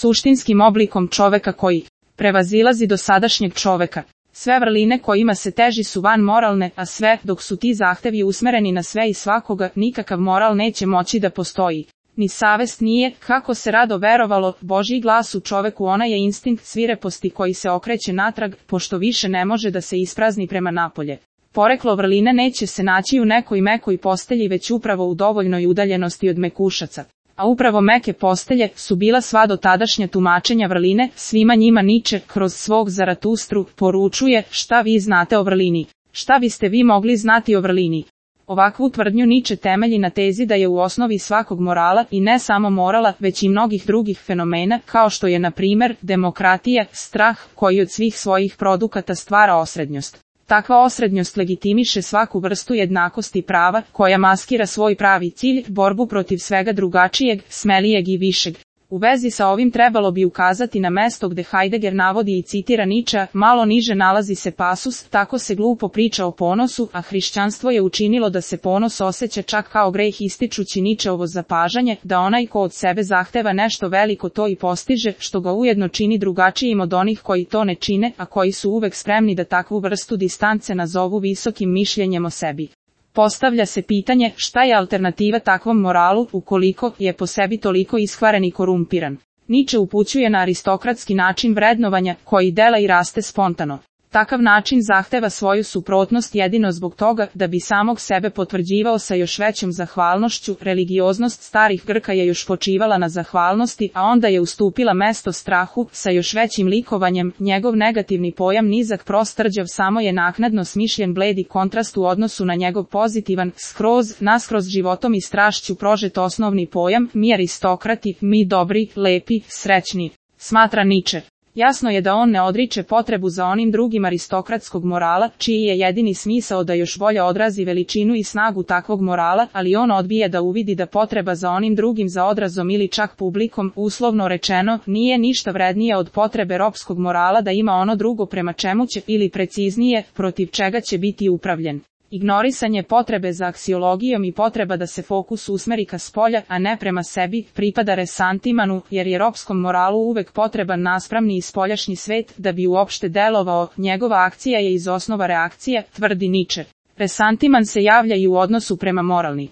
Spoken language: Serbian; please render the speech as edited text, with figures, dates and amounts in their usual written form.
suštinskim oblikom čoveka koji prevazilazi dosadašnjeg čoveka. Sve vrline kojima se teži su van moralne, a sve dok su ti zahtevi usmereni na sve i svakoga, nikakav moral neće moći da postoji. Ni savest nije, kako se rado verovalo, Božji glas u čoveku, ona je instinkt svireposti koji se okreće natrag, pošto više ne može da se isprazni prema napolje. Poreklo vrline neće se naći u nekoj mekoj postelji, već upravo u dovoljnoj udaljenosti od mekušaca. A upravo meke postelje su bila sva dotadašnja tumačenja vrline, svima njima Niče, kroz svog Zaratustru, poručuje: šta vi znate o vrlini? Šta biste vi mogli znati o vrlini? Ovakvu tvrdnju Niče temelji na tezi da je u osnovi svakog morala, i ne samo morala, već i mnogih drugih fenomena, kao što je na primer demokratija, strah, koji od svih svojih produkata stvara osrednjost. Takva osrednjost legitimiše svaku vrstu jednakosti prava, koja maskira svoj pravi cilj, borbu protiv svega drugačijeg, smelijeg i višeg. U vezi sa ovim trebalo bi ukazati na mesto gde Heidegger navodi i citira Ničea, malo niže nalazi se pasus: tako se glupo priča o ponosu, a hrišćanstvo je učinilo da se ponos osjeća čak kao greh, ističući Ničeovo zapažanje, da onaj ko od sebe zahteva nešto veliko to i postiže, što ga ujedno čini drugačijim od onih koji to ne čine, a koji su uvek spremni da takvu vrstu distance nazovu visokim mišljenjem o sebi. Postavlja se pitanje, šta je alternativa takvom moralu, ukoliko je po sebi toliko iskvaren i korumpiran. Niče upućuje na aristokratski način vrednovanja, koji dela i raste spontano. Takav način zahteva svoju suprotnost jedino zbog toga da bi samog sebe potvrđivao sa još većom zahvalnošću. Religioznost starih Grka je još počivala na zahvalnosti, a onda je ustupila mesto strahu, sa još većim likovanjem. Njegov negativni pojam nizak, prost, rđav, samo je naknadno smišljen bledi kontrast u odnosu na njegov pozitivan, naskroz životom i strašću prožet osnovni pojam: mi aristokrati, mi dobri, lepi, srećni. Smatra Niče. Jasno je da on ne odriče potrebu za onim drugim aristokratskog morala, čiji je jedini smisao da još bolje odrazi veličinu i snagu takvog morala, ali on odbija da uvidi da potreba za onim drugim, za odrazom ili čak publikom, uslovno rečeno, nije ništa vrednije od potrebe ropskog morala da ima ono drugo prema čemu će, ili preciznije, protiv čega će biti upravljen. Ignorisanje potrebe za aksiologijom i potreba da se fokus usmeri ka spolja, a ne prema sebi, pripada resantimanu, jer je ropskom moralu uvek potreban naspramni i spoljašnji svet da bi uopšte delovao. Njegova akcija je iz osnova reakcija, tvrdi Niče. Resantiman se javlja i u odnosu prema moralni